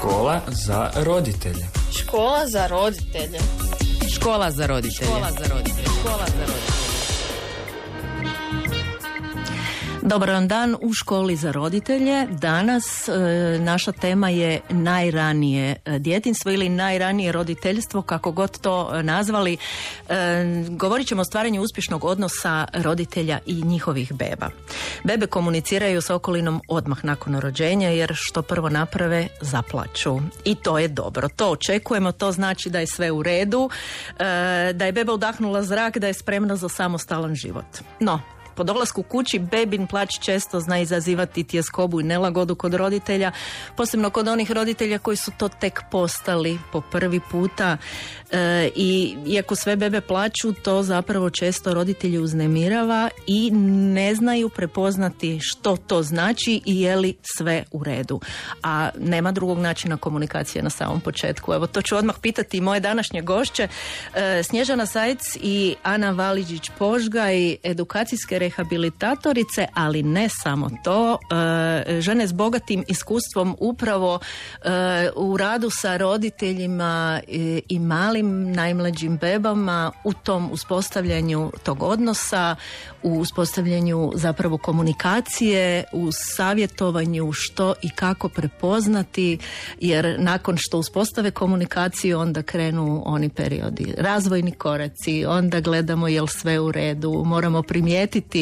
Škola za roditelje. Škola za roditelje. Škola za roditelje. Škola za roditelje. Škola za roditelje. Dobar vam dan u Školi za roditelje. Danas naša tema je najranije djetinjstvo ili najranije roditeljstvo, kako god to nazvali. Govorit ćemo o stvaranju uspješnog odnosa roditelja i njihovih beba. Bebe komuniciraju s okolinom odmah nakon rođenja, jer što prvo naprave, zaplaču. I to je dobro. To očekujemo, to znači da je sve u redu, da je beba udahnula zrak, da je spremna za samostalan život. No, po dolasku kući bebin plać često zna izazivati tjeskobu i nelagodu kod roditelja, posebno kod onih roditelja koji su to tek postali po prvi puta. I iako sve bebe plaću, to zapravo često roditelji uznemirava i ne znaju prepoznati što to znači i je li sve u redu. A nema drugog načina komunikacije na samom početku. Evo, to ću odmah pitati moje današnje gošće, Snježana Sajc i Ana Valiđić-Požgaj, edukacijske rehabilitatorice, ali ne samo to, žene s bogatim iskustvom upravo u radu sa roditeljima i malim najmlađim bebama, u tom uspostavljanju tog odnosa, u uspostavljanju zapravo komunikacije, u savjetovanju što i kako prepoznati, jer nakon što uspostave komunikaciju onda krenu oni periodi, razvojni koraci, onda gledamo jel sve u redu, moramo primijetiti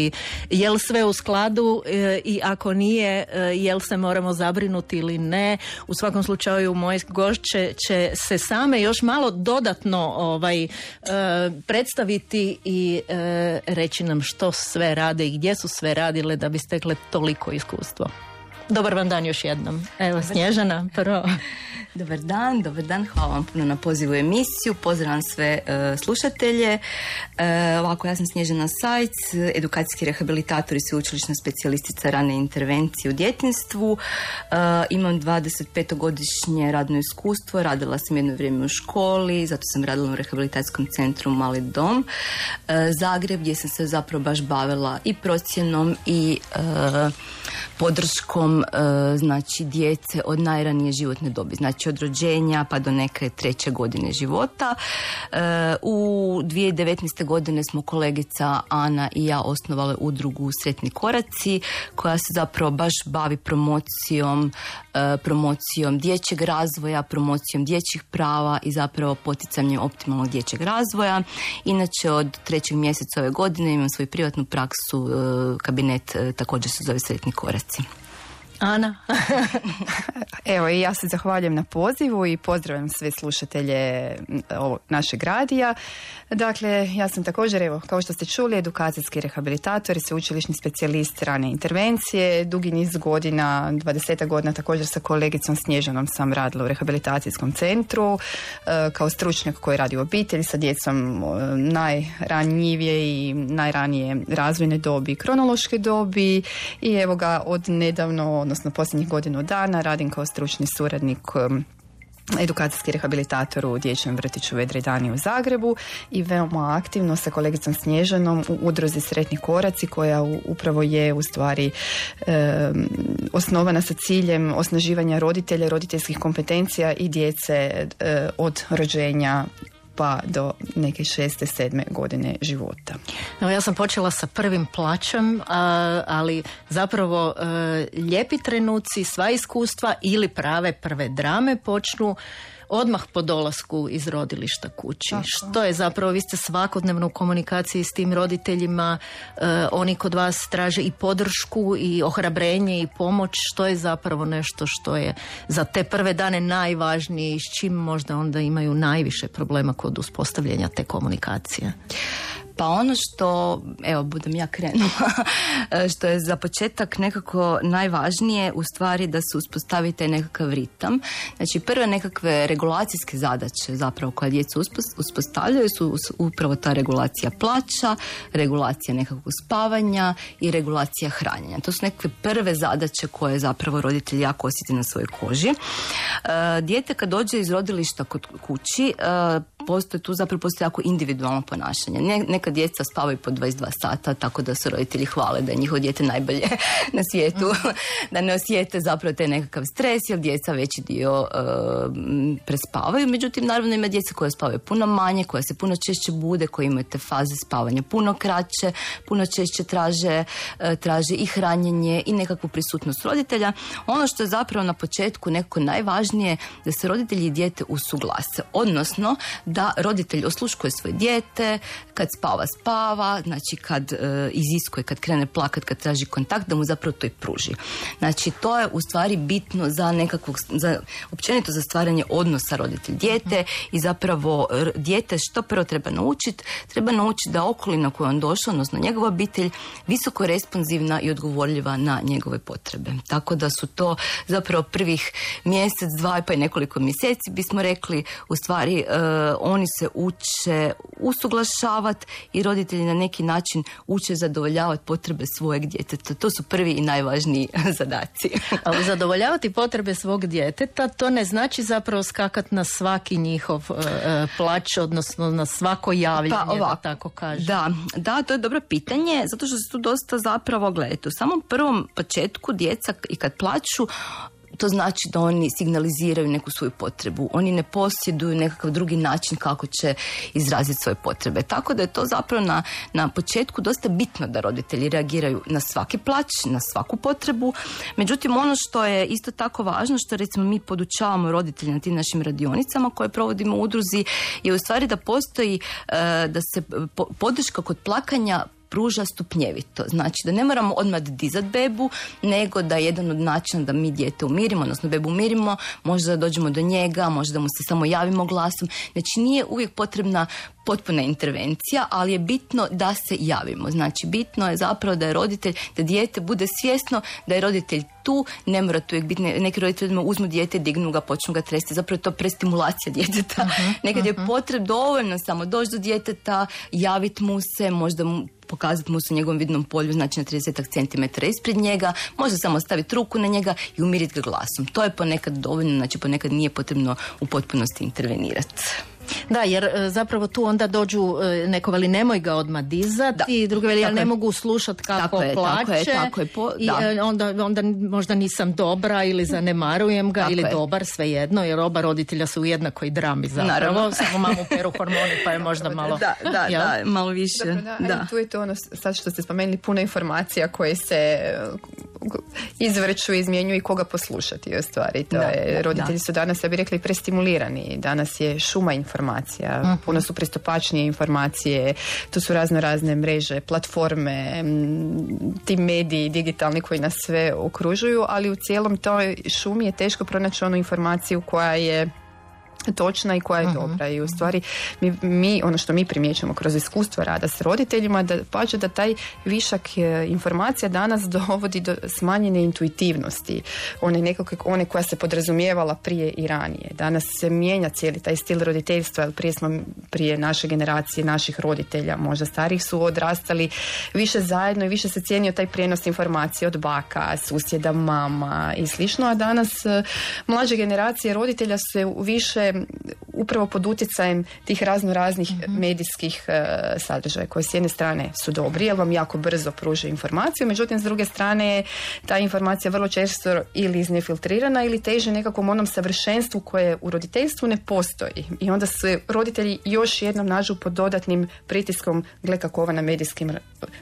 jel sve u skladu i ako nije, jel se moramo zabrinuti ili ne. U svakom slučaju moje gošće će se same još malo dodatno predstaviti i reći nam što sve rade i gdje su sve radile da bi stekle toliko iskustvo. Dobar vam dan još jednom. Evo, Snježana, prvo. Dobar dan, hvala vam puno na pozivu u emisiju, pozdravljam sve slušatelje. Ovako, ja sam Snježana Sajc, edukacijski rehabilitator i sveučilišna specijalistica rane intervencije u djetinjstvu. Imam 25-godišnje radno iskustvo, radila sam jedno vrijeme u školi, zato sam radila u rehabilitacijskom centru Mali dom Zagreb, gdje sam se zapravo baš bavila i procjenom i podrškom znači djece od najranije životne dobi, znači od rođenja pa do neke 3. godine života. U 2019. godine smo kolegica Ana i ja osnovale udrugu Sretni koraci, koja se zapravo baš bavi promocijom dječjeg razvoja, promocijom dječjih prava i zapravo poticanjem optimalnog dječjeg razvoja. Inače, od 3. mjeseca ove godine imam svoju privatnu praksu, kabinet također se zove Sretni koraci. Ana. Evo, i ja se zahvaljujem na pozivu i pozdravljam sve slušatelje našeg radija. Dakle, ja sam također, evo, kao što ste čuli, edukacijski rehabilitator i sveučilišni specijalist rane intervencije. Dugi niz godina, 20 godina, također sa kolegicom Snježanom sam radila u rehabilitacijskom centru kao stručnjak koji radi u obitelji sa djecom najranjivije i najranije razvojne dobi i kronološke dobi. I evo ga, od nedavno, odnosno posljednjih godinu dana, radim kao stručni suradnik edukacijski rehabilitator u dječjem vrtiću Vedre Dani u Zagrebu i veoma aktivno sa kolegicom Snježanom u udruzi Sretni koraci, koja upravo je u stvari osnovana sa ciljem osnaživanja roditelja, roditeljskih kompetencija i djece od rođenja pa do neke 6. 7. godine života. Evo, ja sam počela sa prvim plaćem, ali zapravo lijepi trenuci, sva iskustva ili prave prve drame počnu odmah po dolasku iz rodilišta kući. Tako. Što je zapravo, vi ste svakodnevno u komunikaciji s tim roditeljima, oni kod vas traže i podršku i ohrabrenje i pomoć, što je zapravo nešto što je za te prve dane najvažnije i s čim možda onda imaju najviše problema kod uspostavljanja te komunikacije? Pa ono što, evo, budem ja krenula, što je za početak nekako najvažnije u stvari da se uspostavi taj nekakav ritam. Znači, prve nekakve regulacijske zadaće zapravo koje djeca uspostavljaju su upravo ta regulacija plaća, regulacija nekakvog spavanja i regulacija hranjenja. To su nekakve prve zadaće koje zapravo roditelji jako osjeti na svojoj koži. Dijete kad dođe iz rodilišta kod kući, postoji jako individualno ponašanje. neka djeca spavaju po 22 sata, tako da se roditelji hvale da je njihovo dijete najbolje na svijetu, da ne osjete zapravo taj nekakav stres, jer djeca veći dio prespavaju. Međutim, naravno ima djeca koja spavaju puno manje, koja se puno češće bude, koji imaju te faze spavanja puno kraće, puno češće traže i hranjenje i nekakvu prisutnost roditelja. Ono što je zapravo na početku nekako najvažnije, da se roditelji i dijete usuglase, odnosno da roditelj osluškuje svoje dijete, kad spava, znači kad iziskuje, kad krene plakat, kad traži kontakt, da mu zapravo to i pruži. Znači to je u stvari bitno općenito za stvaranje odnosa roditelj-dijete i zapravo dijete što prvo treba naučiti da okolina koju on došao, odnosno njegova obitelj, visoko responsivna i odgovorljiva na njegove potrebe. Tako da su to zapravo prvih mjesec, dva pa i nekoliko mjeseci bismo rekli, u stvari oni se uče usuglašavati i roditelji na neki način uče zadovoljavati potrebe svojeg djeteta. To su prvi i najvažniji zadaci. Ali zadovoljavati potrebe svog djeteta, to ne znači zapravo skakati na svaki njihov plać, odnosno na svako javljanje, da tako kažem. Da, to je dobro pitanje, zato što se tu dosta zapravo, gledajte, u samom prvom početku djeca i kad plaću, to znači da oni signaliziraju neku svoju potrebu. Oni ne posjeduju nekakav drugi način kako će izraziti svoje potrebe. Tako da je to zapravo na početku dosta bitno da roditelji reagiraju na svaki plać, na svaku potrebu. Međutim, ono što je isto tako važno, što recimo mi podučavamo roditelje na tim našim radionicama koje provodimo u udruzi, je u stvari da postoji, da se podrška kod plakanja pruža stupnjevito. Znači da ne moramo odmah dizati bebu, nego da jedan od načina da mi dijete umirimo, odnosno bebu umirimo, možda da dođemo do njega, možda da mu se samo javimo glasom. Znači nije uvijek potrebna potpuna intervencija, ali je bitno da se javimo. Znači bitno je zapravo da je roditelj, da dijete bude svjesno da je roditelj tu, ne mora tu uvijek biti, neki roditelji uzmu dijete, dignu ga, počnu ga tresti, zapravo je to prestimulacija djeteta. Nekad je potrebno dovoljno samo doći do djeteta, javiti mu se, možda mu pokazati mu se u njegovom vidnom polju, znači na 30 cm ispred njega, može samo staviti ruku na njega i umiriti ga glasom. To je ponekad dovoljno, znači ponekad nije potrebno u potpunosti intervenirati. Da, jer zapravo tu onda dođu neko veli nemoj ga odmah dizati i drugi veli ja ne mogu slušati kako plače i onda možda nisam dobra ili zanemarujem ga ili dobar, svejedno, jer oba roditelja su u jednakoj drami zapravo, samo mamu peru hormoni pa je možda malo malo više. Da. Tu je to ono sad što ste spomenuli, puno informacija koje se izvrću, izmjenjuju i koga poslušati u stvari. To je, roditelji su danas, ja bih rekli, prestimulirani. Danas je šuma informacija, puno su pristupačnije informacije, tu su razne mreže, platforme, ti mediji digitalni koji nas sve okružuju, ali u cijelom toj šumi je teško pronaći onu informaciju koja je točna i koja je dobra. I u stvari mi ono što mi primjećujemo kroz iskustvo rada s roditeljima, da taj višak informacija danas dovodi do smanjene intuitivnosti, one koja se podrazumijevala prije i ranije. Danas se mijenja cijeli taj stil roditeljstva, jer prije naše generacije, naših roditelja, možda starih, su odrastali više zajedno i više se cijenio taj prijenos informacije od baka, susjeda, mama i slično, a danas mlađe generacije roditelja su više upravo pod utjecajem tih raznih medijskih sadržaja koji s jedne strane su dobri jer vam jako brzo pruže informaciju, međutim s druge strane ta informacija vrlo često ili iznefiltrirana ili teže nekakvom onom savršenstvu koje u roditeljstvu ne postoji i onda se roditelji još jednom nađu pod dodatnim pritiskom, gle kako ova na medijskim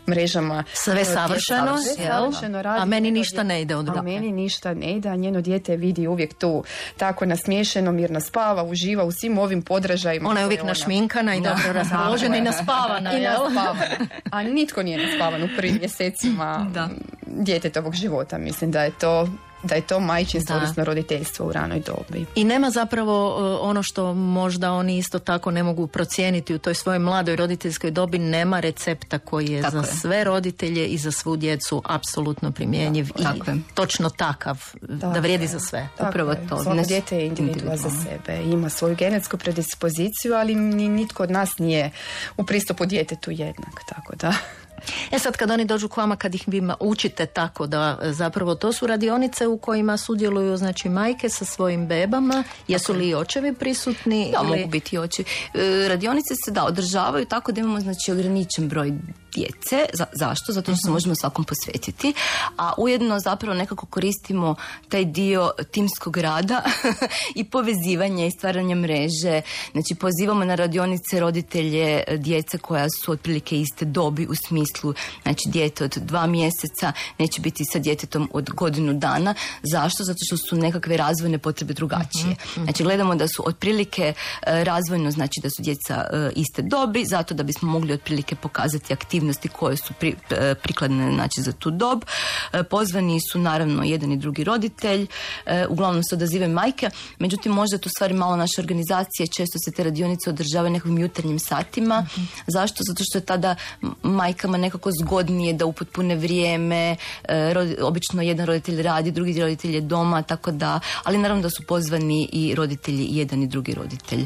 mrežama sve savršeno radi, a meni ništa ne ide od a meni ništa ne ide, a njeno dijete vidi uvijek tu tako nasmiješeno, mirno spava, uživa u svim ovim podražajima. Ona je uvijek našminkana i dobro raspoložena i naspavana. A nitko nije naspavan u prvim mjesecima djetetovog života. Mislim da je to majčinstvo, odnosno roditeljstvo u ranoj dobi. I nema zapravo ono što možda oni isto tako ne mogu procijeniti u toj svojoj mladoj roditeljskoj dobi, nema recepta koji je za sve roditelje i za svu djecu apsolutno primjenjiv i točno takav, da vrijedi za sve. Upravo to. Svako dijete je individua za sebe. Ima svoju genetsku predispoziciju, ali nitko od nas nije u pristupu djetetu jednak. Tako da... Sad kad oni dođu k vama, kad ih vi učite tako da zapravo to su radionice u kojima sudjeluju znači majke sa svojim bebama, jesu li i očevi prisutni? Da, ili... mogu biti i očevi. Radionice se održavaju tako da imamo znači ograničen broj djece. Zašto? Zato što se možemo svakom posvetiti, a ujedno zapravo nekako koristimo taj dio timskog rada i povezivanja i stvaranja mreže. Znači pozivamo na radionice roditelje djece koja su otprilike iste dobi, u smislu znači dijete od 2 mjeseca neće biti sa djetetom od godinu dana. Zašto? Zato što su nekakve razvojne potrebe drugačije. Znači gledamo da su otprilike razvojno, znači da su djeca iste dobi, zato da bismo mogli otprilike pokazati aktivnosti koje su prikladne znači za tu dob. Pozvani su naravno jedan i drugi roditelj, uglavnom se odazivaju majke, međutim možda tu stvari malo naše organizacije, često se te radionice održavaju nekakvim jutarnjim satima. Zašto? Zato što je tada majkama nekako zgodnije da upotpune vrijeme, obično jedan roditelj radi, drugi roditelj je doma, tako da, ali naravno da su pozvani i roditelji, jedan i drugi roditelj.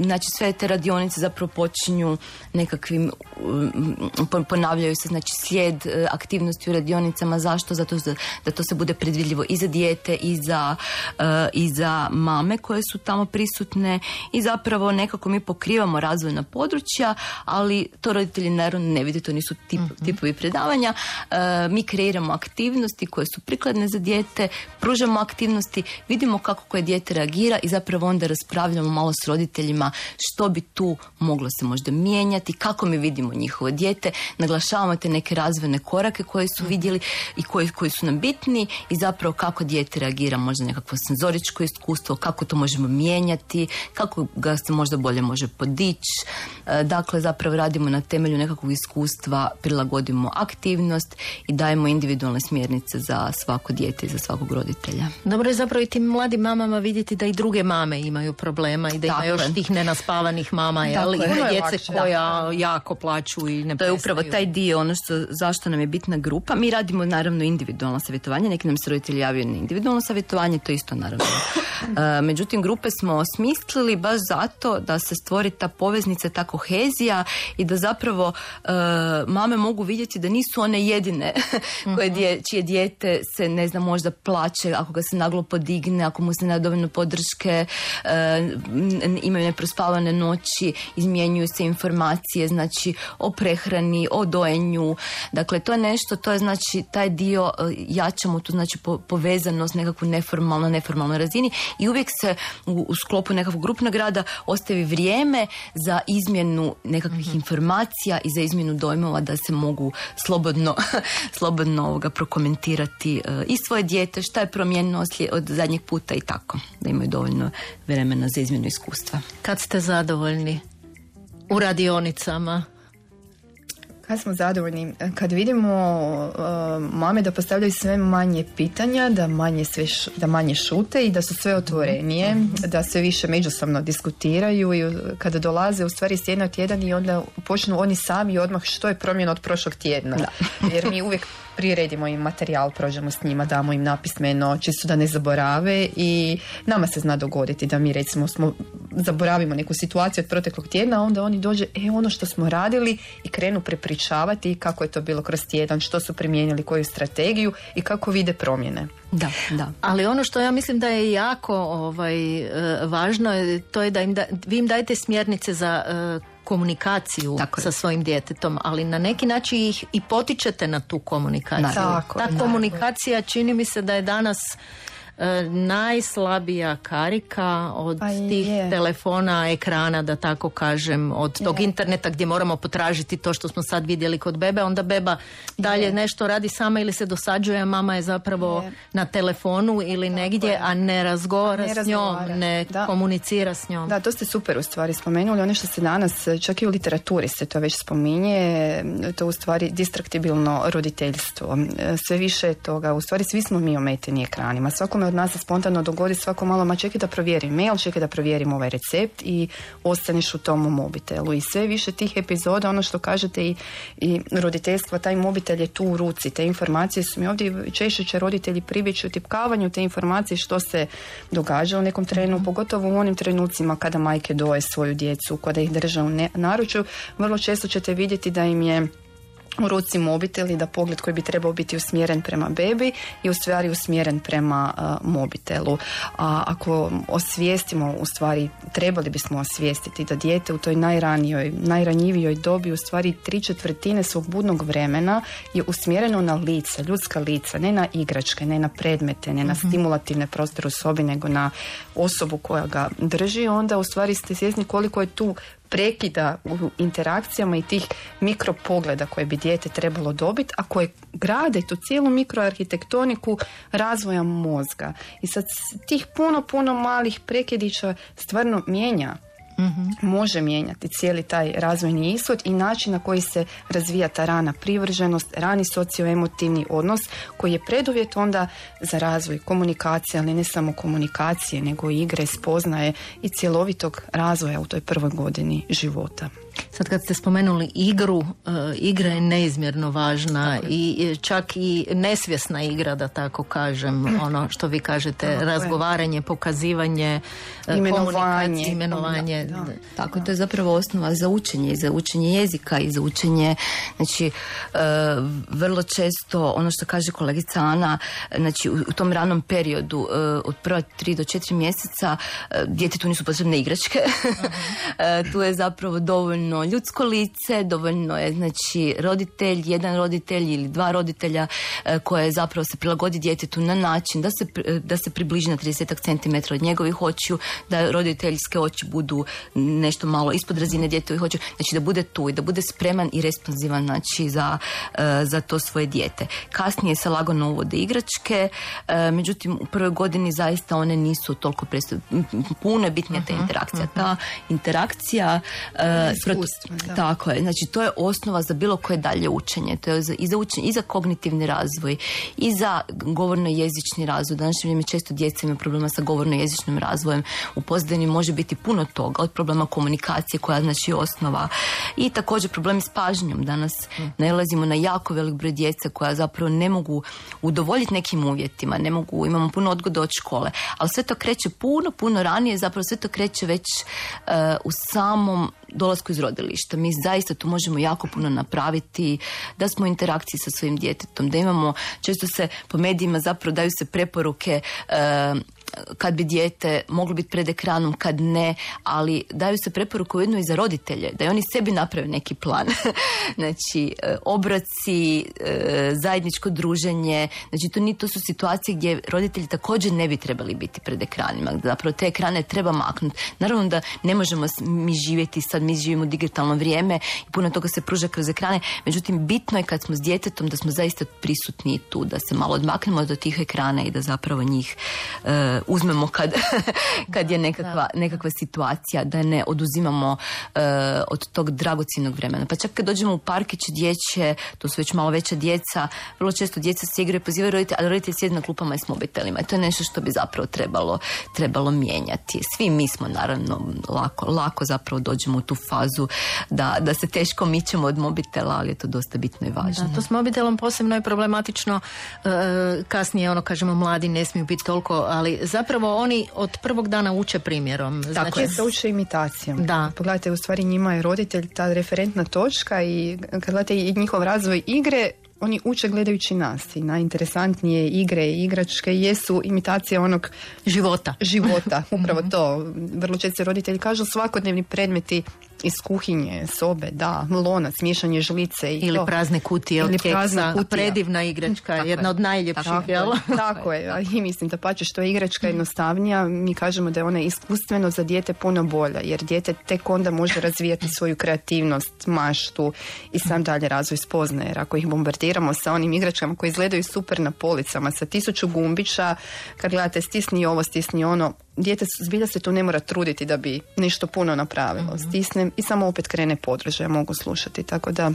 Znači sve te radionice zapravo počinju nekakvim, ponavljaju se znači slijed aktivnosti u radionicama. Zašto? Zato da to se bude predvidljivo i za dijete i za mame koje su tamo prisutne i zapravo nekako mi pokrivamo razvojna područja, ali to roditelji naravno ne vide, to nisu tipovi predavanja. Mi kreiramo aktivnosti koje su prikladne za dijete, pružamo aktivnosti, vidimo kako koje dijete reagira i zapravo onda raspravljamo malo s roditeljima što bi tu moglo se možda mijenjati, kako mi vidimo njihovo dijete, naglašavamo te neke razvojne korake koje su vidjeli i koji su nam bitni i zapravo kako dijete reagira, možda nekakvo senzoričko iskustvo, kako to možemo mijenjati, kako ga se možda bolje može podići. Dakle, zapravo radimo na temelju nekakvog iskustva, prilagodimo aktivnost i dajemo individualne smjernice za svako dijete i za svakog roditelja. Dobro je zapravo i tim mladim mamama vidjeti da i druge mame imaju problema i da ima još tih nenaspavanih mama, ali djece koja jako plaću i ne prestaju. To je upravo taj dio, ono zašto nam je bitna grupa. Mi radimo naravno individualno savjetovanje, neki nam se roditelji javljaju na individualno savjetovanje, to isto naravno. Međutim, grupe smo osmislili baš zato da se stvori ta poveznica, ta kohezija i da zapravo mame mogu vidjeti da nisu one jedine čije dijete se, ne znam, možda plače ako ga se naglo podigne, ako mu se ne da dovoljno podrške, imaju neprospavane noći, izmjenjuju se informacije, znači o prehrani, o dojenju. Dakle, to je nešto, to je znači taj dio, jačamo tu znači povezanost nekakvu neformalnoj razini i uvijek se u sklopu nekakvog grupnog rada ostavi vrijeme za izmjenu nekakvih informacija i za izmjenu dojmova da se mogu slobodno prokomentirati i svoje dijete, šta je promijenilo od zadnjeg puta i tako, da imaju dovoljno vremena za izmjenu iskustva. Kad ste zadovoljni u radionicama? Kad smo zadovoljni? Kad vidimo mame da postavljaju sve manje pitanja, da manje šute i da su sve otvorenije, da sve više međusobno diskutiraju i kada dolaze u stvari s tjedna u tjedan i onda počnu oni sami odmah što je promjena od prošlog tjedna. Da. Jer mi uvijek priredimo im materijal, prođemo s njima, damo im napismeno, čisto da ne zaborave i nama se zna dogoditi da mi recimo zaboravimo neku situaciju od proteklog tjedna, a onda oni dođe, ono što smo radili i krenu prepričavati kako je to bilo kroz tjedan, što su primijenili, koju strategiju i kako vide promjene. Da. Ali ono što ja mislim da je jako važno, to je da vi im dajete smjernice za komunikaciju sa svojim djetetom, ali na neki način ih i potičete na tu komunikaciju. Ta komunikacija čini mi se da je danas najslabija karika od tih telefona, ekrana, da tako kažem, od tog interneta gdje moramo potražiti to što smo sad vidjeli kod bebe, onda beba dalje nešto radi sama ili se dosađuje, a mama je zapravo na telefonu ili negdje, a ne razgovara s njom, ne komunicira s njom. Da, to ste super u stvari spomenuli. Ono što se danas, čak i u literaturi se to već spominje, to u stvari distraktibilno roditeljstvo. Sve više toga, u stvari svi smo mi ometeni ekranima. Svakome od nas se spontano dogodi svako malo, čekaj da provjerim mail, čekaj da provjerim ovaj recept i ostaneš u tom mobitelu. I sve više tih epizoda, ono što kažete i roditeljstva, taj mobitel je tu u ruci. Te informacije su mi ovdje, češće će roditelji pribjeći u tipkavanju te informacije što se događa u nekom trenu, pogotovo u onim trenucima kada majke doje svoju djecu, kada ih drže u naručju. Vrlo često ćete vidjeti da im je u ruci mobitel i da pogled koji bi trebao biti usmjeren prema bebi je u stvari usmjeren prema mobitelu. A ako osvijestimo, u stvari trebali bismo osvijestiti da dijete u toj najranjivijoj dobi u stvari 3/4 svog budnog vremena je usmjereno na lica, ljudska lica, ne na igračke, ne na predmete, ne na stimulativne prostore u sobi, nego na osobu koja ga drži. Onda u stvari ste svjesni koliko je tu prekida u interakcijama i tih mikropogleda koje bi dijete trebalo dobiti, a koje grade tu cijelu mikroarhitektoniku razvoja mozga. I sad tih puno malih prekidića stvarno mijenja. Može mijenjati cijeli taj razvojni ishod i način na koji se razvija ta rana privrženost, rani socioemotivni odnos koji je preduvjet onda za razvoj komunikacije, ali ne samo komunikacije, nego i igre, spoznaje i cjelovitog razvoja u toj prvoj godini života. Sad kad ste spomenuli igru, igra je neizmjerno važna i čak i nesvjesna igra, da tako kažem, ono što vi kažete, razgovaranje, pokazivanje, komunikacije, imenovanje. Da. Tako, to je zapravo osnova za učenje jezika i za učenje, znači vrlo često ono što kaže kolegica Ana, znači u tom ranom periodu od prva 3 do 4 mjeseca djetetu nisu potrebne igračke. Tu je zapravo dovoljno ljudsko lice, dovoljno je znači roditelj, jedan roditelj ili dva roditelja koje zapravo se prilagodi djetetu na način da se približi na 30 cm od njegovih očiju, da roditeljske oči budu nešto malo ispod razine djetovih očiju, znači da bude tu i da bude spreman i responsivan znači za to svoje dijete. Kasnije se lagano uvode igračke, međutim u prvoj godini zaista one nisu toliko puno je bitnija ta interakcija. Ta interakcija tako je, znači to je osnova za bilo koje dalje učenje. To je i za učenje, i za kognitivni razvoj, i za govorno-jezični razvoj. Današnje vrijeme često djeca imaju problema sa govorno-jezičnim razvojem. U pozadini može biti puno toga, od problema komunikacije koja znači osnova, i također problemi s pažnjom. Danas nailazimo na jako velik broj djece koja zapravo ne mogu udovoljiti nekim uvjetima, imamo puno odgode od škole, ali sve to kreće puno ranije, zapravo sve to kreće već u samom dolasku iz rodilišta. Mi zaista tu možemo jako puno napraviti, da smo u interakciji sa svojim djetetom, da imamo, često se po medijima zapravo daju se preporuke kad bi dijete moglo biti pred ekranom, kad ne, ali daju se preporuke ujedno i za roditelje, da i oni sebi naprave neki plan. Znači, obroci, zajedničko druženje, znači to su situacije gdje roditelji također ne bi trebali biti pred ekranima, zapravo te ekrane treba maknuti. Naravno da ne možemo mi živjeti, sad mi živimo u digitalno vrijeme i puno toga se pruža kroz ekrane, međutim bitno je kad smo s djetetom da smo zaista prisutni tu, da se malo odmaknemo do tih ekrana i da zapravo njih uzmemo kad je nekakva situacija, da ne oduzimamo od tog dragocjenog vremena. Pa čak kad dođemo u parkiće dječje, to su već malo veća djeca, vrlo često djeca se igraju, pozivaju roditelji, ali roditelji sjede na klupama i s mobitelima. I to je nešto što bi zapravo trebalo mijenjati. Svi mi smo naravno lako zapravo dođemo u tu fazu da se teško mičemo od mobitela, ali je to dosta bitno i važno. Da, to s mobitelom posebno je problematično. Kasnije, kažemo, mladi ne smiju biti toliko, ali zapravo oni od prvog dana uče primjerom. Tako je, se uče imitacijom. Da. Pogledajte, u stvari njima je roditelj ta referentna točka i kad gledate i njihov razvoj igre, oni uče gledajući nas i najinteresantnije igre i igračke jesu imitacija onog života. Upravo to. Vrlo često roditelji kažu svakodnevni predmeti iz kuhinje, sobe, lonac, miješanje žlice ili to. Prazne kutije od keksa, predivna igračka, jedna od najljepših. Tako je, i mislim da pače što je igračka jednostavnija, mi kažemo da je ona iskustveno za dijete puno bolja, jer dijete tek onda može razvijati svoju kreativnost, maštu i sam dalje razvoj spoznaje, jer ako ih bombardiramo sa onim igračkama koji izgledaju super na policama, sa 1000 gumbića, kad gledate stisni ovo, stisni ono, dijete zbilja se tu ne mora truditi da bi nešto puno napravilo. Stisnem i samo opet krene podržaj, mogu slušati, tako da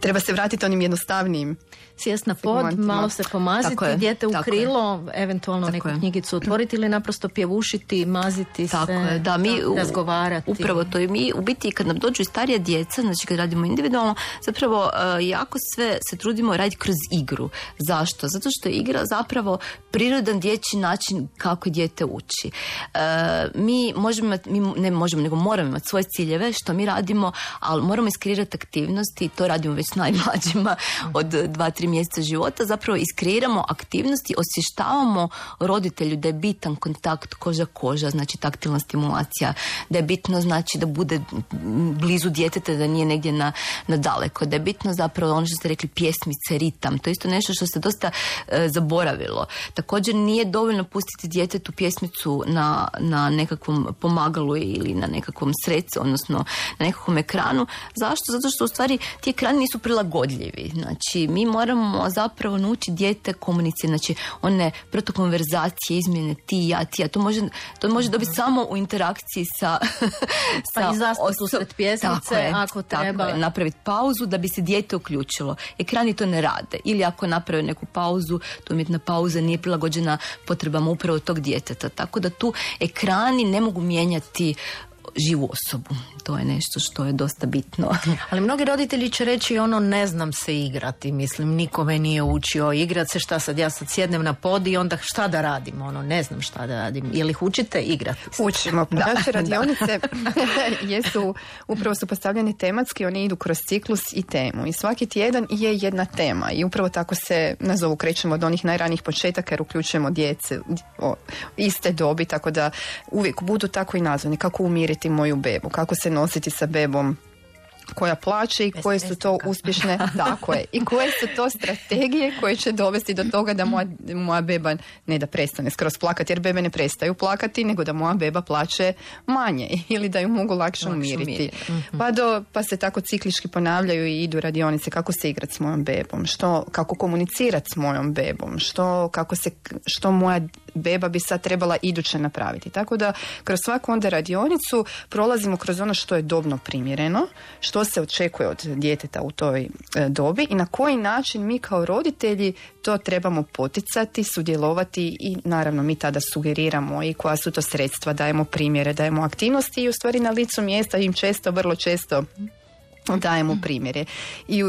treba se vratiti onim jednostavnijim. Sjest na pod, malo se pomaziti, dijete u krilo, eventualno neku knjigicu otvoriti ili naprosto pjevušiti, maziti se, razgovarati. Upravo to i mi, u biti kad nam dođu starija djeca, znači kad radimo individualno, zapravo jako sve se trudimo raditi kroz igru. Zašto? Zato što je igra zapravo prirodan dječji način kako dijete uči. Mi moramo imati svoje ciljeve što mi radimo, ali moramo iskreirati aktivnosti i to radimo već s najmlađima od 2-3 mjeseca života, zapravo iskreiramo aktivnosti, osvještavamo roditelju da je bitan kontakt koža, znači taktilna stimulacija, da je bitno znači da bude blizu djeteta, da nije negdje na daleko, da je bitno zapravo ono što ste rekli, pjesmice, ritam, to je isto nešto što se dosta zaboravilo. Također nije dovoljno pustiti djetetu pjesmicu na nekakvom pomagalu ili na nekakvom sredcu, odnosno na nekakvom ekranu. Zašto? Zato što u stvari ti ekrani nisu prilagodljivi. Znači, mi moramo zapravo naučiti dijete komunicirati, znači one protokonverzacije, izmjene ti, ja, to može dobiti samo u interakciji sa pa i zastavu sred pjesmice, ako treba. Tako je, napraviti pauzu da bi se dijete uključilo. Ekrani to ne rade. Ili ako naprave neku pauzu, to umjetna pauza nije prilagođena potrebama upravo tog djeteta. Tako da tu ekrani ne mogu mijenjati živu osobu. To je nešto što je dosta bitno. Ali mnogi roditelji će reći ne znam se igrati, mislim, nikome nije učio igrati se, šta sad, ja sad sjednem na pod i onda šta da radim, ne znam šta da radim. Je li ih učite igrati? Učimo. Naše radionice upravo su postavljene tematski, one idu kroz ciklus i temu i svaki tjedan je jedna tema i upravo tako se nazovu, krećemo od onih najranijih početaka jer uključujemo djece iste dobi, tako da uvijek budu tako i nazvani, kako umiriti moju bebu, kako se nositi sa bebom koja plaće i koje su to uspješne, tako je, i koje su to strategije koje će dovesti do toga da moja beba ne da prestane skroz plakati, jer bebe ne prestaju plakati, nego da moja beba plaće manje ili da ju mogu lakše umiriti. Pa se tako ciklički ponavljaju i idu radionice kako se igrati s mojom bebom, kako komunicirati s mojom bebom, što moja beba bi sad trebala iduće napraviti. Tako da kroz svaku onda radionicu prolazimo kroz ono što je dobno primjereno, što se očekuje od djeteta u toj dobi i na koji način mi kao roditelji to trebamo poticati, sudjelovati i naravno mi tada sugeriramo i koja su to sredstva, dajemo primjere, dajemo aktivnosti i u stvari na licu mjesta im vrlo često dajemo primjere. I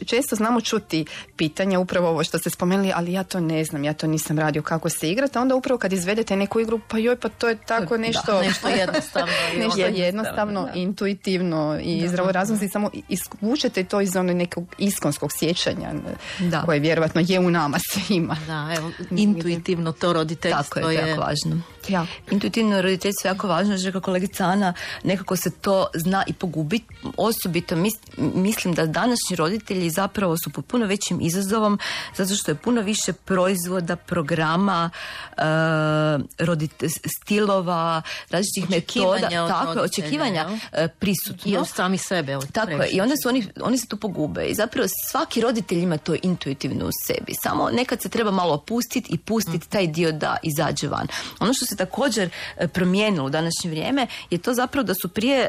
često znamo čuti pitanja, upravo ovo što ste spomenuli, ali ja to ne znam, ja to nisam radio kako se igrati, a onda upravo kad izvedete neku igru, pa to je tako nešto jednostavno. Nešto jednostavno, intuitivno i zdravorazumski, samo isvučete to iz onog nekog iskonskog sjećanja koje vjerovatno je u nama svima. Da, evo, intuitivno to roditeljstvo tako je jako važno. Ja. Intuitivno roditeljstvo je jako važno, že kako kolegica Ana, nekako se to zna i pogubiti. Osobito mislim da današnji roditelji zapravo su pod puno većim izazovom zato što je puno više proizvoda, programa, stilova, različitih metoda, očekivanja prisutno. I od sami sebe. Tako je. I onda oni se tu pogube. I zapravo svaki roditelj ima to intuitivno u sebi. Samo nekad se treba malo opustiti i pustiti taj dio da izađe van. Ono što se također promijenilo u današnje vrijeme je to zapravo da su prije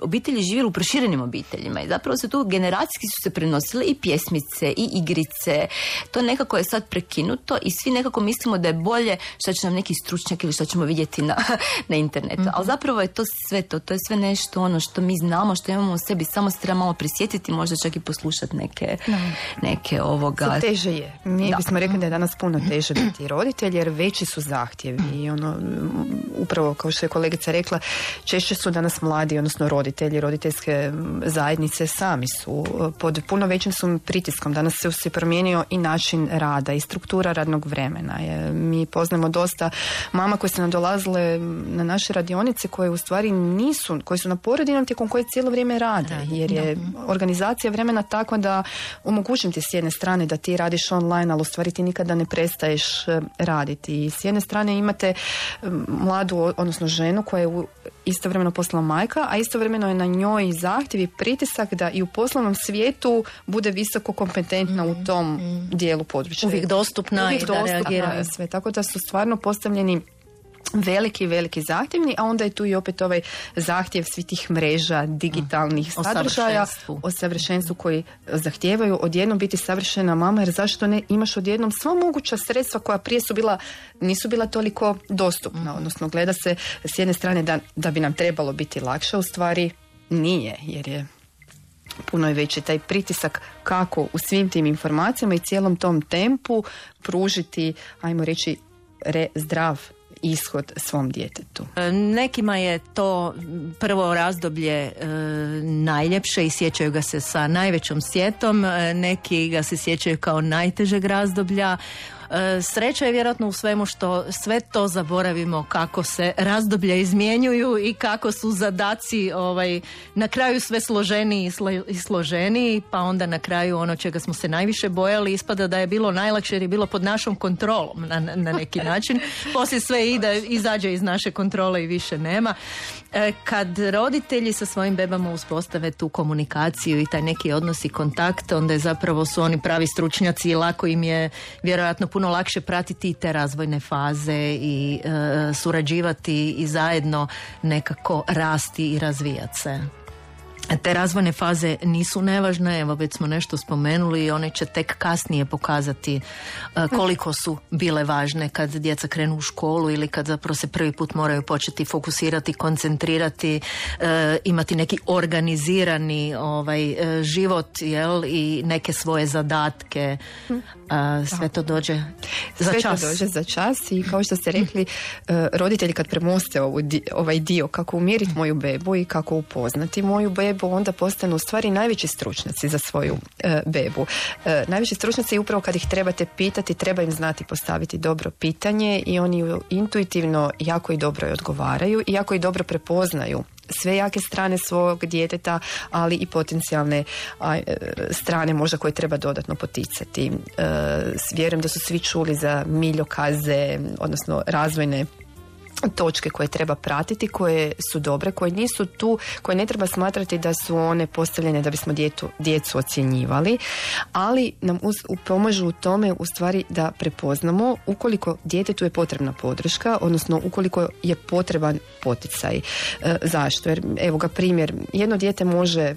obitelji živjeli u proširenim obiteljima i zapravo se tu generacijski su se prenosile i pjesmice i igrice. To nekako je sad prekinuto i svi nekako mislimo da je bolje što će nam neki stručnjak ili što ćemo vidjeti na internetu. Ali zapravo je to sve to je sve nešto ono što mi znamo, što imamo u sebi, samo se treba malo prisjetiti, možda čak i poslušati neke ovoga. Sve teže je. Mi bismo rekli da je danas puno teže biti roditelj jer veći su zahtjevi i upravo kao što je kolegica rekla, češće su danas mladi, odnosno roditelji, roditeljske zajednice sami su pod puno većim su pritiskom. Danas se promijenio i način rada i struktura radnog vremena. Mi poznamo dosta mama koje se nam dolazile na naše radionice koje u stvari nisu, koje su na porodiljnom tijekom koje cijelo vrijeme rade, jer je organizacija vremena takva da omogućim ti s jedne strane da ti radiš online, ali u stvari ti nikada ne prestaješ raditi. I s jedne strane imate mladu, odnosno ženu koja je istovremeno poslovna majka, a istovremeno je na njoj zahtjev i pritisak da i u poslovnom svijetu bude visoko kompetentna u tom dijelu područja. Uvijek dostupna i da reagira. Sve. Tako da su stvarno postavljeni veliki zahtjevni, a onda je tu i opet ovaj zahtjev svih tih mreža, digitalnih sadržaja o savršenstvu koji zahtijevaju odjednom biti savršena mama, jer zašto ne imaš odjednom sva moguća sredstva koja prije nisu bila toliko dostupna, odnosno gleda se s jedne strane da bi nam trebalo biti lakše, u stvari nije, jer je puno je veći taj pritisak kako u svim tim informacijama i cijelom tom tempu pružiti, ajmo reći, zdrav ishod svom djetetu. Nekima je to prvo razdoblje najljepše i sjećaju ga se sa najvećom sjetom, neki ga se sjećaju kao najtežeg razdoblja. Sreća je vjerojatno u svemu što sve to zaboravimo, kako se razdoblja izmjenjuju i kako su zadaci na kraju sve složeniji i složeniji, pa onda na kraju ono čega smo se najviše bojali ispada da je bilo najlakše jer je bilo pod našom kontrolom na neki način. Poslije sve izađe iz naše kontrole i više nema. Kad roditelji sa svojim bebama uspostave tu komunikaciju i taj neki odnos i kontakt, onda je zapravo su oni pravi stručnjaci i lako im je vjerojatno puno lakše pratiti te razvojne faze i surađivati i zajedno nekako rasti i razvijati se. Te razvojne faze nisu nevažne, evo već smo nešto spomenuli i one će tek kasnije pokazati koliko su bile važne kad djeca krenu u školu ili kad zapravo se prvi put moraju početi fokusirati, koncentrirati, imati neki organizirani život, jel, i neke svoje zadatke. Sve to dođe za čas. Sve to dođe za čas i kao što ste rekli, roditelji kad premoste ovaj dio kako umjeriti moju bebu i kako upoznati moju bebu, onda postanu u stvari najveći stručnjaci za svoju bebu. Najveći stručnjaci upravo kad ih trebate pitati, treba im znati postaviti dobro pitanje i oni intuitivno jako i dobro odgovaraju i jako i dobro prepoznaju sve jake strane svog djeteta, ali i potencijalne strane možda koje treba dodatno poticati. Vjerujem da su svi čuli za miljokaze, odnosno razvojne točke koje treba pratiti, koje su dobre, koje nisu tu, koje ne treba smatrati da su one postavljene da bismo djecu ocjenjivali, ali nam pomažu u tome u stvari da prepoznamo ukoliko djetetu je potrebna podrška, odnosno ukoliko je potreban poticaj. Zašto? Jer evo ga primjer, jedno dijete može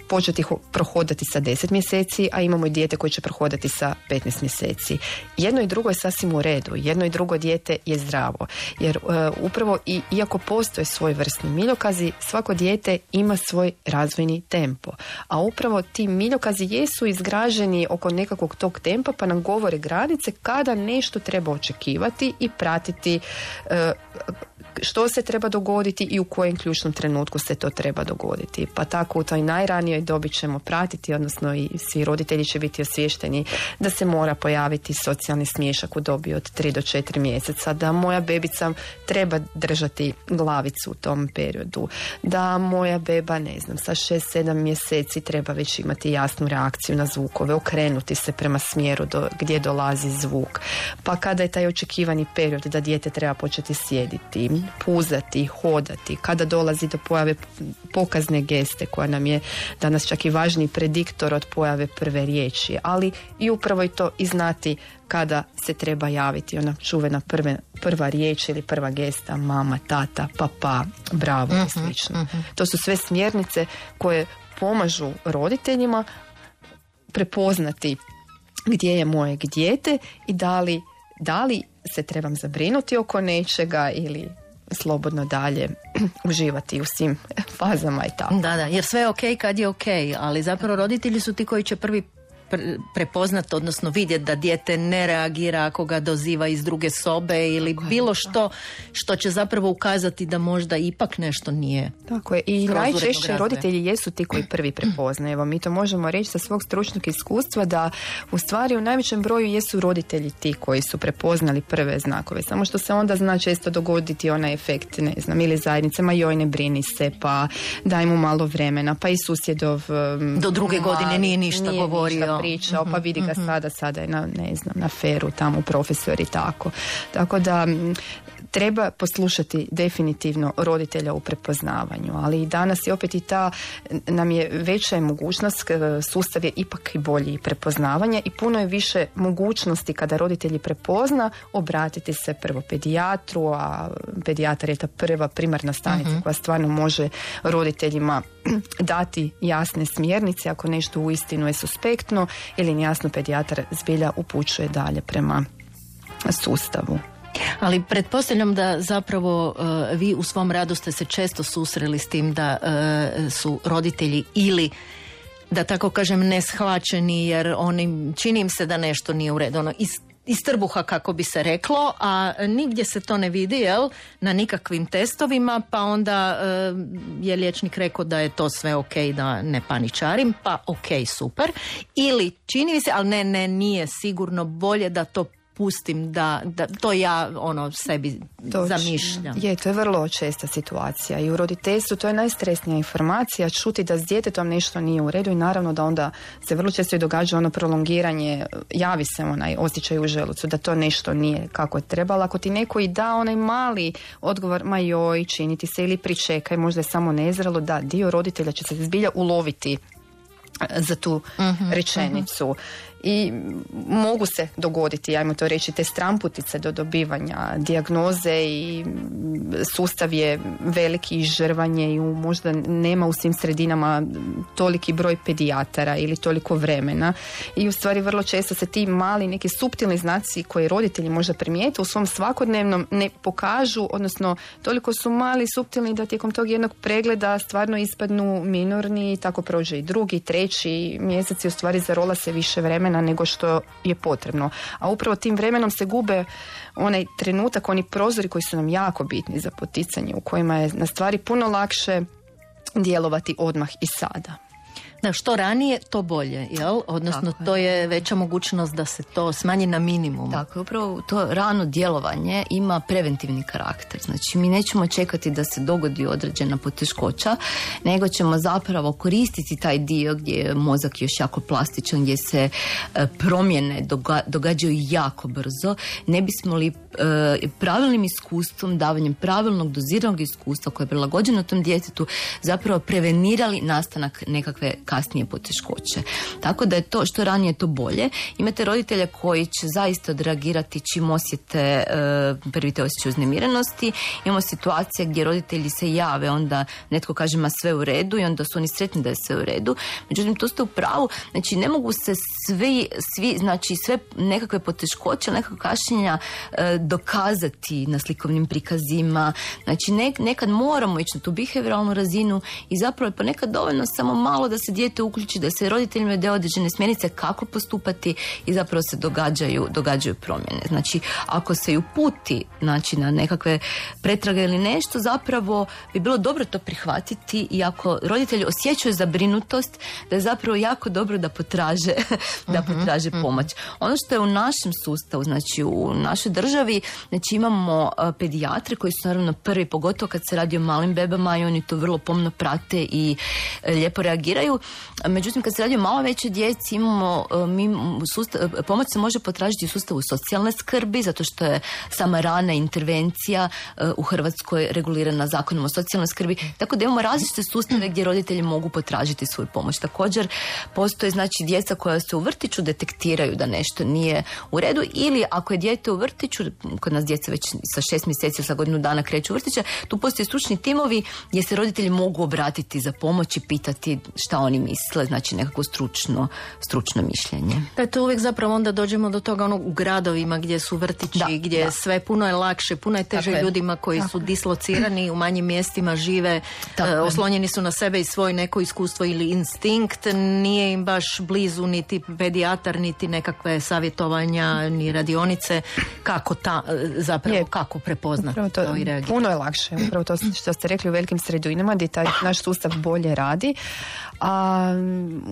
početi prohodati sa 10 mjeseci, a imamo i dijete koje će prohodati sa 15 mjeseci. Jedno i drugo je sasvim u redu, jedno i drugo dijete je zdravo. Jer upravo iako postoje svojevrsni miljokazi, svako dijete ima svoj razvojni tempo. A upravo ti miljokazi jesu izgraženi oko nekakvog tog tempa, pa nam govore granice kada nešto treba očekivati i pratiti što se treba dogoditi i u kojem ključnom trenutku se to treba dogoditi. Pa tako u toj najranijoj dobi ćemo pratiti, odnosno i svi roditelji će biti osviješteni da se mora pojaviti socijalni smiješak u dobi od 3 do 4 mjeseca, da moja bebica treba držati glavicu u tom periodu, da moja beba, ne znam, sa 6-7 mjeseci treba već imati jasnu reakciju na zvukove, okrenuti se prema smjeru gdje dolazi zvuk. Pa kada je taj očekivani period da dijete treba početi sjediti, puzati, hodati, kada dolazi do pojave pokazne geste koja nam je danas čak i važniji prediktor od pojave prve riječi, ali i upravo i to i znati kada se treba javiti ona čuvena prva riječ ili prva gesta, mama, tata, papa, bravo i slično. To su sve smjernice koje pomažu roditeljima prepoznati gdje je moje dijete i da li se trebam zabrinuti oko nečega ili slobodno dalje uživati u svim fazama i tako. Da, jer sve je okej kad je okej, ali zapravo roditelji su ti koji će prvi prepoznat, odnosno vidjeti da dijete ne reagira ako ga doziva iz druge sobe ili bilo što će zapravo ukazati da možda ipak nešto nije. Tako je. I najčešće roditelji jesu ti koji prvi prepoznaju. Evo, mi to možemo reći sa svog stručnog iskustva da u stvari u najvećem broju jesu roditelji ti koji su prepoznali prve znakove. Samo što se onda zna često dogoditi onaj efekt, ne znam, ili zajednicama, joj ne brini se, pa daj mu malo vremena, pa i susjedov do druge godine nije ništa govorio. Pričao, pa vidi ga sada je na feru tamo profesor i tako. Tako da treba poslušati definitivno roditelja u prepoznavanju, ali danas je opet i ta nam je veća mogućnost, sustav je ipak i bolji prepoznavanja i puno je više mogućnosti kada roditelji prepozna obratiti se prvo pedijatru, a pedijatar je ta prva primarna stanica koja stvarno može roditeljima dati jasne smjernice ako nešto uistinu je suspektno ili nejasno, pedijatar zbilja upućuje dalje prema sustavu. Ali pretpostavljam da zapravo vi u svom radu ste se često susreli s tim da su roditelji ili da tako kažem neshvaćeni jer čini im se da nešto nije u redu. iz trbuha, kako bi se reklo, a nigdje se to ne vidi, jel, na nikakvim testovima, pa onda je liječnik rekao da je to sve ok, da ne paničarim, pa ok, super. Ili čini mi se, ali nije sigurno, bolje da to pustim, da to ja sebi zamišljam. To je vrlo česta situacija i u roditeljstvu to je najstresnija informacija, čuti da s djetetom nešto nije u redu i naravno da onda se vrlo često i događa prolongiranje, javi se onaj osjećaj u želucu da to nešto nije kako je trebalo. Ako ti neko i da onaj mali odgovor, ma joj, čini ti se, ili pričekaj, možda je samo nezrelo, da dio roditelja će se zbilja uloviti za tu rečenicu. I mogu se dogoditi, ajmo to reći, te stramputice do dobivanja dijagnoze i sustav je veliki i žrvanje i možda nema u svim sredinama toliki broj pedijatara ili toliko vremena i u stvari vrlo često se ti mali neki suptilni znaci koje roditelji možda primijete u svom svakodnevnom ne pokažu, odnosno toliko su mali, suptilni da tijekom tog jednog pregleda stvarno ispadnu minorni i tako prođe i drugi, treći mjesec i u stvari zarola se više vremena nego što je potrebno. A upravo tim vremenom se gube onaj trenutak, oni prozori koji su nam jako bitni za poticanje, u kojima je na stvari puno lakše djelovati odmah i sada. Da, što ranije, to bolje, jel? Odnosno, to je veća mogućnost da se to smanji na minimum. Tako, upravo to rano djelovanje ima preventivni karakter. Znači, mi nećemo čekati da se dogodi određena poteškoća, nego ćemo zapravo koristiti taj dio gdje je mozak još jako plastičan, gdje se promjene događaju jako brzo. Ne bismo li pravilnim iskustvom, davanjem pravilnog doziranog iskustva koje je prilagođeno tom djetetu, zapravo prevenirali nastanak nekakve kasnije poteškoće. Tako da je to što ranije to bolje. Imate roditelja koji će zaista odreagirati čim osjete prvi te osjećaj uznemirenosti. Imamo situacije gdje roditelji se jave, onda netko kaže ma sve u redu i onda su oni sretni da je sve u redu. Međutim, tu ste u pravu. Znači, ne mogu se svi znači sve nekakve poteškoće, nekakve kašnjenja dokazati na slikovnim prikazima. Znači, nekad moramo ići na tu behavioralnu razinu i zapravo je ponekad dovoljno samo malo da se dijete uključi, da se roditeljima daje određene smjernice kako postupati i zapravo se događaju promjene. Znači, ako se i uputi znači, na nekakve pretrage ili nešto, zapravo bi bilo dobro to prihvatiti i ako roditelji osjećaju zabrinutost, da je zapravo jako dobro da potraže pomoć. Ono što je u našem sustavu, znači u našoj državi, znači imamo pedijatre koji su naravno prvi, pogotovo kad se radi o malim bebama i oni to vrlo pomno prate i lijepo reagiraju. Međutim, kad se radi o malo većoj djeci, imamo pomoć se može potražiti u sustavu socijalne skrbi, zato što je sama rana intervencija u Hrvatskoj regulirana Zakonom o socijalnoj skrbi, tako da imamo različite sustave gdje roditelji mogu potražiti svoju pomoć. Također postoje znači djeca koja se u vrtiću detektiraju da nešto nije u redu, ili ako je dijete u vrtiću, kod nas djeca već sa 6 mjeseci, sa godinu dana kreću u vrtiće, tu postoje stručni timovi gdje se roditelji mogu obratiti za pomoć i pitati šta oni misle, znači nekako stručno mišljenje. Da, to uvijek zapravo onda dođemo do toga u gradovima gdje su vrtići, gdje sve puno je lakše, puno je teže ljudima koji su dislocirani u manjim mjestima, žive, oslonjeni su na sebe i svoje neko iskustvo ili instinkt, nije im baš blizu niti pedijatar, niti nekakve savjetovanja, ni radionice, kako prepoznati to i reagirati. Puno je lakše, upravo to što ste rekli u velikim sredinama gdje taj naš sustav bolje radi, a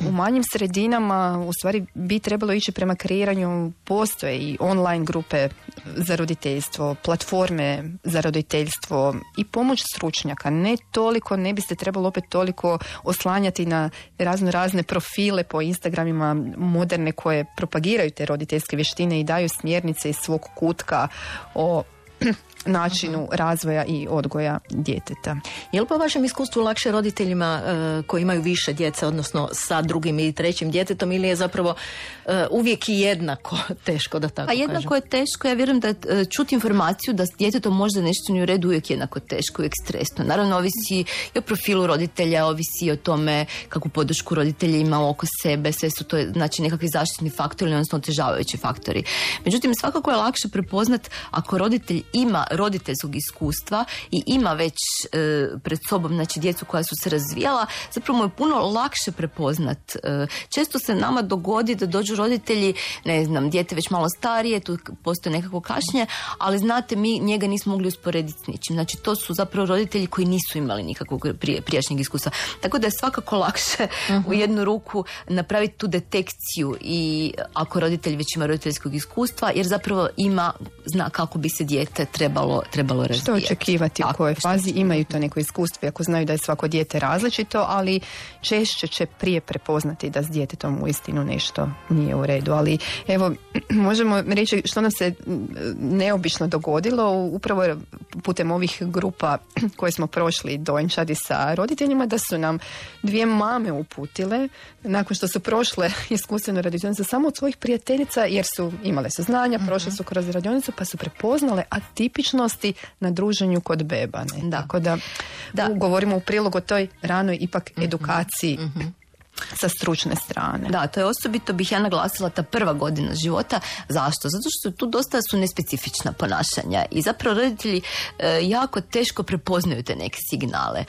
u manjim sredinama u stvari bi trebalo ići prema kreiranju, postoje i online grupe za roditeljstvo, platforme za roditeljstvo i pomoć stručnjaka. Ne biste trebalo opet toliko oslanjati na razne profile po Instagramima moderne koje propagiraju te roditeljske vještine i daju smjernice iz svog kutka o načinu razvoja i odgoja djeteta. Je li po vašem iskustvu lakše roditeljima koji imaju više djece, odnosno sa drugim i trećim djetetom, ili je zapravo uvijek i jednako teško, da tako kažem? Jednako je teško. Ja vjerujem da čuti informaciju da s djetetom možda nešto nije u redu uvijek jednako teško, uvijek stresno. Naravno, ovisi i o profilu roditelja, ovisi i o tome kakvu podršku roditelji ima oko sebe, sve su to znači nekakvi zaštitni faktori, odnosno otežavajući faktori. Međutim, svakako je lakše prepoznat ako roditelj ima roditeljskog iskustva i ima već pred sobom, znači, djecu koja su se razvijala, zapravo mu je puno lakše prepoznat. Često se nama dogodi da dođu roditelji, ne znam, dijete već malo starije, tu postoje nekako kašnje, ali znate, mi njega nismo mogli usporediti s ničim. Znači, to su zapravo roditelji koji nisu imali nikakvog prijašnjeg iskustva. Tako da je svakako lakše u jednu ruku napraviti tu detekciju i ako roditelj već ima roditeljskog iskustva, jer zapravo zna kako bi se dijete trebalo razvijati. Što očekivati, u kojoj fazi imaju to neko iskustvo, ako znaju da je svako dijete različito, ali češće će prije prepoznati da s djetetom uistinu nešto nije u redu. Ali evo, možemo reći što nam se neobično dogodilo upravo putem ovih grupa koje smo prošli dojenčadi sa roditeljima, da su nam 2 mame uputile nakon što su prošle iskustvenu radionicu samo od svojih prijateljica, jer su imale saznanja, prošle su kroz radionicu, pa su prepoznale atipičnosti na druženju kod beba. Ne? Tako da govorimo u prilog o toj ranoj ipak edukaciji sa stručne strane. Da, to je osobito, bih ja naglasila, ta prva godina života. Zašto? Zato što tu dosta su nespecifična ponašanja i zapravo roditelji jako teško prepoznaju te neke signale.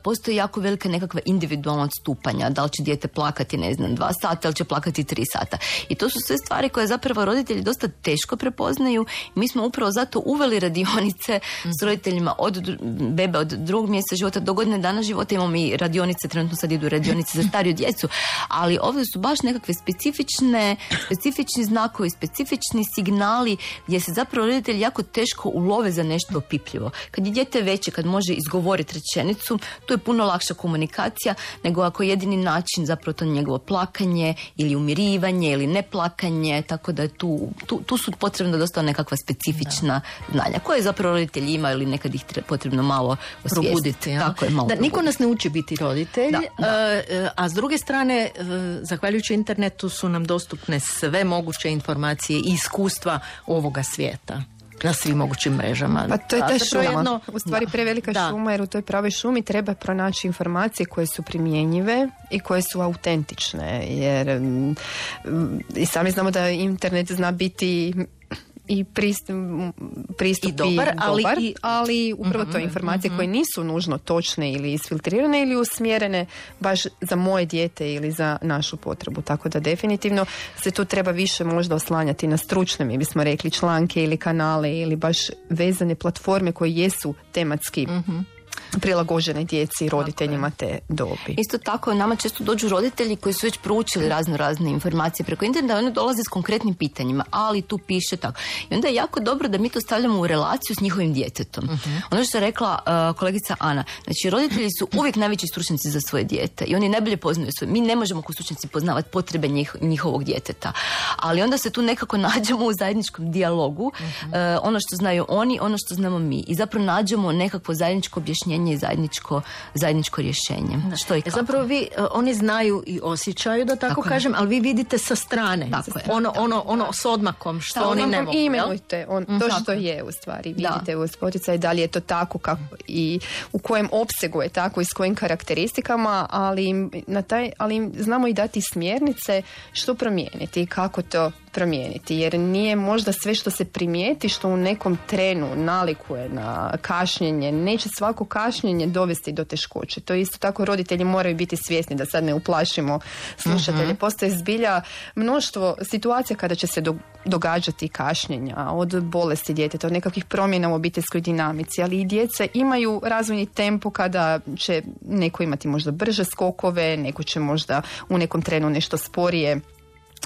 Postoji jako velika nekakva individualna odstupanja, da li će dijete plakati, ne znam, 2 sata ili će plakati 3 sata. I to su sve stvari koje zapravo roditelji dosta teško prepoznaju. Mi smo upravo zato uveli radionice s roditeljima od bebe, od 2. mjeseca života do godine dana života. Imamo i radionice, trenutno sad idu radionice za stariju djecu, ali ovdje su baš nekakve specifični znakovi, specifični signali gdje se zapravo roditelji jako teško ulove za nešto opipljivo. Kad je dijete veće, kad može izgovoriti rečenicu, tu je puno lakša komunikacija nego ako je jedini način zapravo to njegovo plakanje ili umirivanje ili neplakanje, tako da je tu su potrebno dosta nekakva specifična znanja koje zapravo roditelji imaju ili nekad ih potrebno malo osvijestiti. Tako je, malo da, niko nas ne uči biti roditelj, a s druge strane, zahvaljujući internetu su nam dostupne sve moguće informacije i iskustva ovoga svijeta na svim mogućim mrežama. Pa to je ta šuma, u stvari prevelika šuma, jer u toj pravoj šumi treba pronaći informacije koje su primjenjive i koje su autentične, jer i sami znamo da internet zna biti i pristup i dobar, ali upravo to informacije koje nisu nužno točne ili isfiltrirane ili usmjerene baš za moje dijete ili za našu potrebu. Tako da definitivno se tu treba više možda oslanjati na stručne, mi bismo rekli, članke ili kanale ili baš vezane platforme koje jesu tematski prilagođene djeci i roditeljima te dobi. Isto tako, nama često dođu roditelji koji su već proučili razne informacije preko interneta, oni dolaze s konkretnim pitanjima, ali tu piše tako. I onda je jako dobro da mi to stavljamo u relaciju s njihovim djetetom. Ono što je rekla kolegica Ana, znači roditelji su uvijek najveći stručnjaci za svoje dijete i oni najbolje poznaju svoje. Mi ne možemo kao stručnjaci poznavati potrebe njihovog djeteta, ali onda se tu nekako nađemo u zajedničkom dijalogu, ono što znaju oni, ono što znamo mi, i zapravo nađemo nekakvo zajedničko objašnjenje i zajedničko rješenje. Što i kako. Zapravo oni znaju i osjećaju, da tako kažem, ali vi vidite sa strane. Ono s odmakom što oni ne mogu. Imenujte to što je u stvari. Vidite uz poticaj da li je to tako kako, i u kojem opsegu je tako i s kojim karakteristikama, ali znamo i dati smjernice što promijeniti i kako to promijeniti, jer nije možda sve što se primijeti, što u nekom trenu nalikuje na kašnjenje, neće svako kašnjenje dovesti do teškoće. To isto tako roditelji moraju biti svjesni, da sad ne uplašimo slušatelje. Postoje zbilja mnoštvo situacija kada će se događati kašnjenja, od bolesti djeteta, od nekakvih promjena u obiteljskoj dinamici, ali i djeca imaju razvojni tempo kada će neko imati možda brže skokove, neko će možda u nekom trenu nešto sporije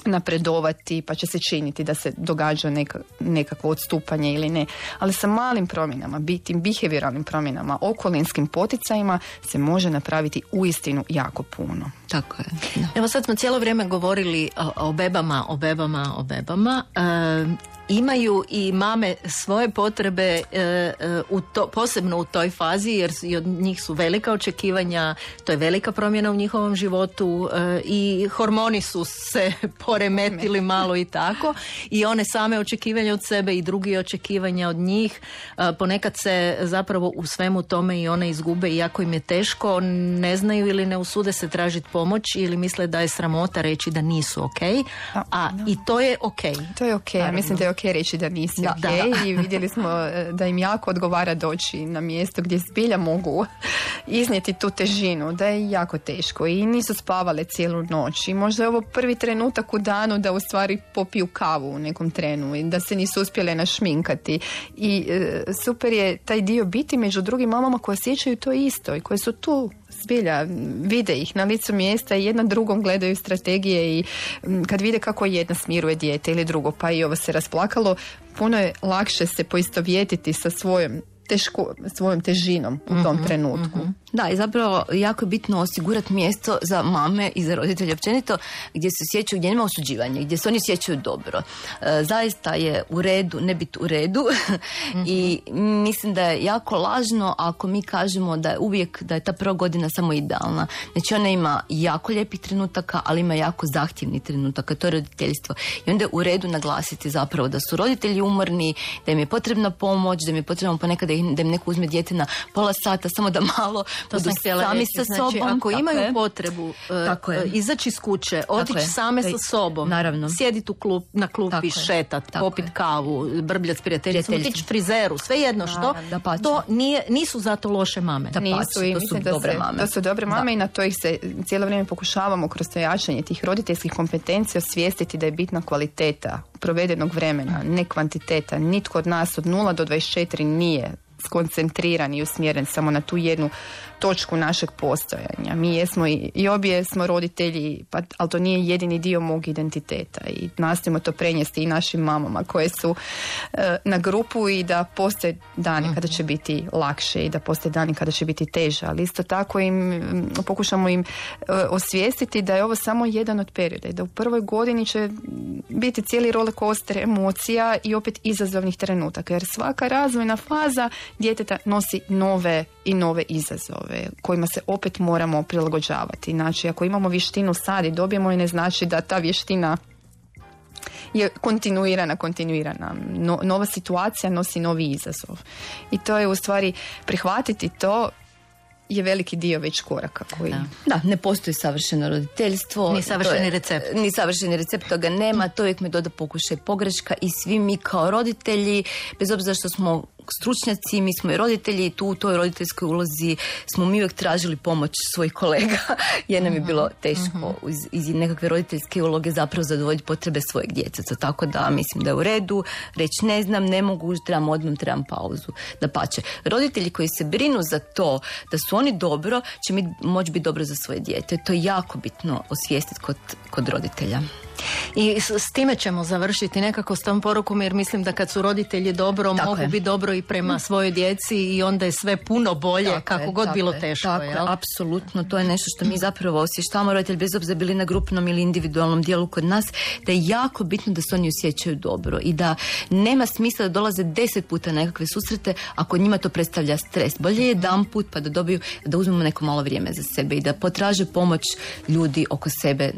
napredovati, pa će se činiti da se događa nekakvo odstupanje ili ne. Ali sa malim promjenama, tim behavioralnim promjenama, okolinskim poticajima se može napraviti uistinu jako puno. Tako je. Da. Evo sad smo cijelo vrijeme govorili o bebama. Imaju i mame svoje potrebe posebno u toj fazi, jer i od njih su velika očekivanja, to je velika promjena u njihovom životu i hormoni su se poremetili malo i tako, i one same očekivanja od sebe i drugi očekivanja od njih. Ponekad se zapravo u svemu tome i one izgube, iako im je teško, ne znaju ili ne usude se tražiti pomoć ili misle da je sramota reći da nisu ok, i to je ok. To je ok, ja mislim da je ok okej reći da nisi Da, okej. da. I vidjeli smo da im jako odgovara doći na mjesto gdje zbilja mogu iznijeti tu težinu, da je jako teško i nisu spavale cijelu noć i možda je ovo prvi trenutak u danu da u stvari popiju kavu u nekom trenu i da se nisu uspjele našminkati i super je taj dio biti među drugim mamama koje osjećaju to isto i koje su tu zbilja, vide ih na licu mjesta i jedna drugom gledaju strategije i kad vide kako jedna smiruje dijete ili drugo, pa i ovo se rasplakalo, puno je lakše se poistovjetiti sa svojom težinom u tom trenutku. Da, i zapravo jako je bitno osigurati mjesto za mame i za roditelje općenito gdje se osjećaju, gdje nema osuđivanja, gdje se oni osjećaju dobro. Zaista je u redu ne biti u redu i mislim da je jako lažno ako mi kažemo da je uvijek, da je ta prva godina samo idealna. Znači ona ima jako lijepih trenutaka, ali ima jako zahtjevnih trenutaka, to je roditeljstvo. I onda je u redu naglasiti zapravo da su roditelji umorni, da im je potrebna pomoć, da im je potrebno ponekad da im neko uzme dijete na pola sata, samo da malo budu sami sa sobom. Znači, ako imaju potrebu izaći iz kuće, otići same sa sobom, sjediti na klupi, šetat, popit kavu, brbljat s prijateljicom, otići frizeru, svejedno što, to nisu zato loše mame. Nisu i mislim da su dobre mame i na to ih se cijelo vrijeme pokušavamo kroz to jačanje tih roditeljskih kompetencija osvijestiti da je bitna kvaliteta provedenog vremena, ne kvantiteta. Nitko od nas od 0 do 24 nije skoncentriran i usmjeren samo na tu jednu točku našeg postojanja. Mi jesmo i obje smo roditelji, ali to nije jedini dio mog identiteta i nastojimo to prenijesti i našim mamama koje su na grupu i da postoje dani kada će biti lakše i da postoje dani kada će biti teže, ali isto tako pokušamo im osvijestiti da je ovo samo jedan od perioda i da u prvoj godini će biti cijeli roller coaster emocija i opet izazovnih trenutaka, jer svaka razvojna faza djeteta nosi nove i nove izazove kojima se opet moramo prilagođavati. Znači, ako imamo vještinu sad i dobijemo, ne znači da ta vještina je kontinuirana. Nova situacija nosi novi izazov. I to je u stvari prihvatiti to je veliki dio već koraka koji... Da, ne postoji savršeno roditeljstvo. Ni savršeni recept. Ni savršeni recept, toga nema. To uvijek metoda pokušaj pogreška i svi mi kao roditelji, bez obzira što smo stručnjaci, mi smo i roditelji i tu u toj roditeljskoj ulozi smo mi uvijek tražili pomoć svojih kolega jer nam je bilo teško iz nekakve roditeljske uloge zapravo zadovoljiti potrebe svojeg djeteca. Tako da mislim da je u redu reći ne znam, ne mogu, trebam pauzu. Dapače, roditelji koji se brinu za to da su oni dobro, će mi moći biti dobro za svoje dijete. To je jako bitno osvijestiti kod roditelja. I s time ćemo završiti nekako s tom porukom, jer mislim da kad su roditelji dobro, mogu biti dobro i prema svojoj djeci i onda je sve puno bolje, kako god bilo teško. Tako je, apsolutno, to je nešto što mi zapravo osvještavamo roditelji, bez obzira bili na grupnom ili individualnom dijelu kod nas, da je jako bitno da se oni osjećaju dobro i da nema smisla da dolaze 10 puta na nekakve susrete ako njima to predstavlja stres. Bolje je jedan put pa da dobiju, da uzmemo neko malo vrijeme za sebe i da potraže pomoć ljudi oko sebe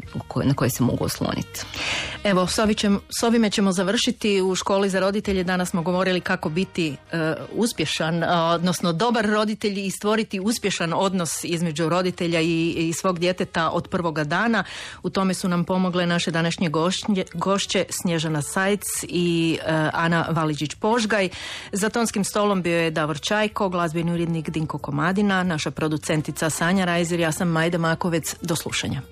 na koje se mogu osloniti. Evo, s ovime ćemo završiti. U školi za roditelje danas smo govorili kako biti uspješan, odnosno dobar roditelj i stvoriti uspješan odnos između roditelja i svog djeteta od prvoga dana. U tome su nam pomogle naše današnje gošće Snježana Sajc i Ana Valiđić-Požgaj. Za tonskim stolom bio je Davor Čajko, glazbeni urednik Dinko Komadina, naša producentica Sanja Rajzer, ja sam Majda Makovec. Do slušanja.